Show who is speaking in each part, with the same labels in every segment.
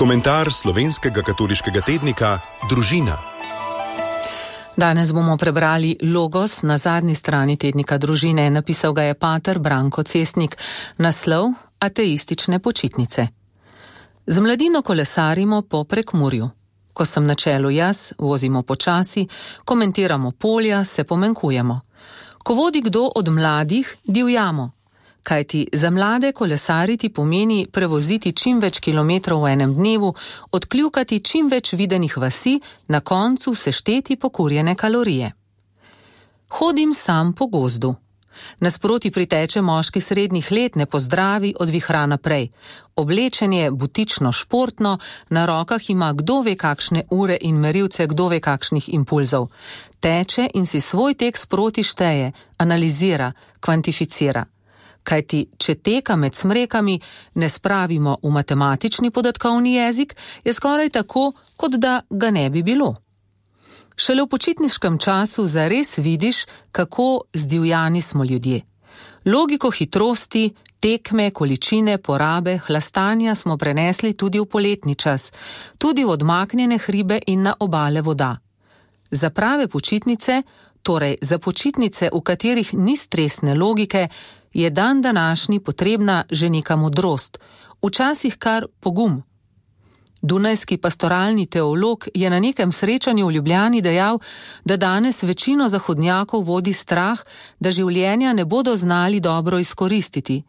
Speaker 1: Komentar slovenskega katoliškega tednika Družina.
Speaker 2: Danes bomo prebrali Logos na zadnji strani tednika Družine. Napisal ga je pater Branko Cesnik. Naslov: Ateistične počitnice. Z mladino kolesarimo po Prekmurju. Ko sem na čelu jaz, vozimo počasi, komentiramo polja, se pomenkujemo. Ko vodi kdo od mladih, divjamo. Kajti za mlade kolesariti pomeni prevoziti čim več kilometrov v enem dnevu, odkljukati čim več videnih vasi, na koncu sešteti pokurjene kalorije. Hodim sam po gozdu. Nasproti priteče moški srednjih let, ne pozdravi, odvihra naprej. Oblečen je butično športno, na rokah ima kdo ve kakšne ure in merilce kdo ve kakšnih impulzov. Teče in si svoj tek sproti šteje, analizira, kvantificira. Kajti, če teka med smrekami ne spravimo v matematični podatkovni jezik, je skoraj tako, kot da ga ne bi bilo. Šele v počitniškem času zares vidiš, kako zdivjani smo ljudje. Logiko hitrosti, tekme, količine, porabe, hlastanja smo prenesli tudi v poletni čas, tudi v odmaknjene hribe in na obale voda. Za prave počitnice, torej za počitnice, v katerih ni stresne logike, je dan današnji potrebna že neka modrost, včasih kar pogum. Dunajski pastoralni teolog je na nekem srečanju v Ljubljani dejal, da danes večino zahodnjakov vodi strah, da življenja ne bodo znali dobro izkoristiti.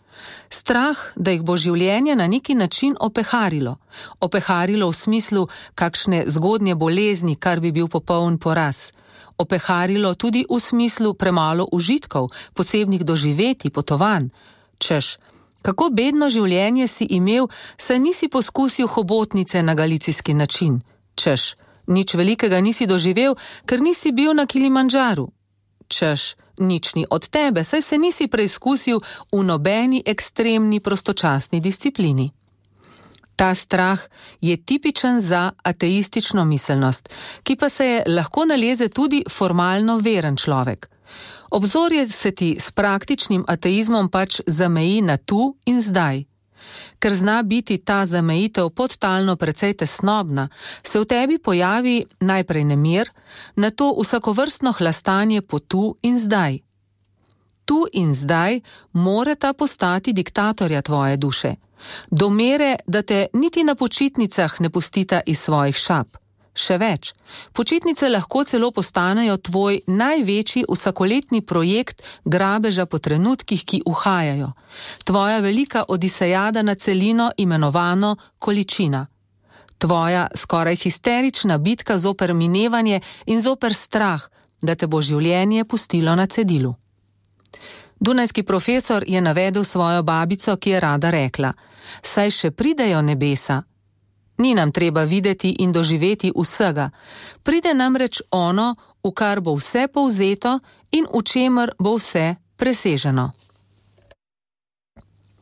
Speaker 2: Strah, da jih bo življenje na neki način opeharilo. Opeharilo v smislu kakšne zgodnje bolezni, kar bi bil popoln poraz. Opeharilo tudi v smislu premalo užitkov, posebnih doživetij, potovanj. Češ, kako bedno življenje si imel, saj nisi poskusil hobotnice na galicijski način. Češ, nič velikega nisi doživel, ker nisi bil na Kilimandžaru. Češ, nič ni od tebe, saj se nisi preizkusil v nobeni ekstremni prostočasni disciplini. Ta strah je tipičen za ateistično miselnost, ki pa se je lahko naleze tudi formalno veren človek. Obzorje se ti s praktičnim ateizmom pač zameji na tu in zdaj. Ker zna biti ta zamejitev podtalno precej tesnobna, se v tebi pojavi najprej nemir, nato vsakovrstno hlastanje po tu in zdaj. Tu in zdaj morata postati diktatorja tvoje duše. Do mere, da te niti na počitnicah ne pustita iz svojih šap. Še več, počitnice lahko celo postanejo tvoj največji vsakoletni projekt grabeža po trenutkih, ki uhajajo. Tvoja velika odisejada na celino imenovano količina. Tvoja skoraj histerična bitka zoper minevanje in zoper strah, da te bo življenje pustilo na cedilu. Dunajski profesor je navedel svojo babico, ki je rada rekla: saj še pridejo nebesa. Ni nam treba videti in doživeti vsega. Pride namreč ono, v kar bo vse povzeto in v čemer bo vse preseženo.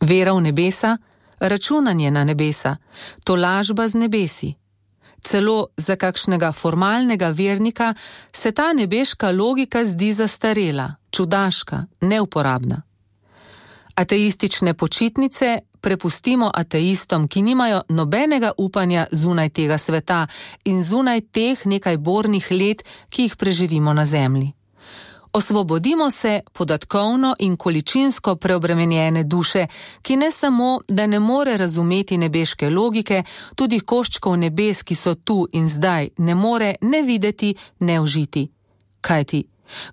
Speaker 2: Vera v nebesa, računanje na nebesa, tolažba z nebesi. Celo za kakšnega formalnega vernika se ta nebeška logika zdi zastarela, čudaška, neuporabna. Ateistične počitnice prepustimo ateistom, ki nimajo nobenega upanja zunaj tega sveta in zunaj teh nekaj bornih let, ki jih preživimo na zemlji. Osvobodimo se podatkovno in količinsko preobremenjene duše, ki ne samo, da ne more razumeti nebeške logike, tudi koščkov nebes, ki so tu in zdaj, ne more ne videti, ne užiti. Kajti,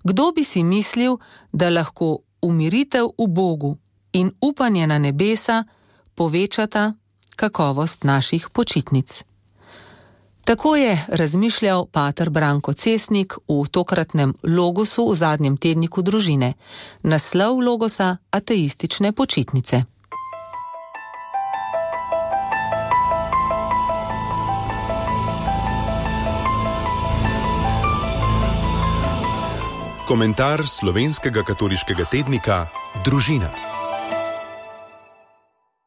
Speaker 2: kdo bi si mislil, da lahko umiritev v Bogu in upanje na nebesa povečata kakovost naših počitnic. Tako je razmišljal pater Branko Cesnik v tokratnem Logosu v zadnjem tedniku Družine. Naslov Logosa: Ateistične počitnice.
Speaker 1: Komentar slovenskega katoliškega tednika Družina.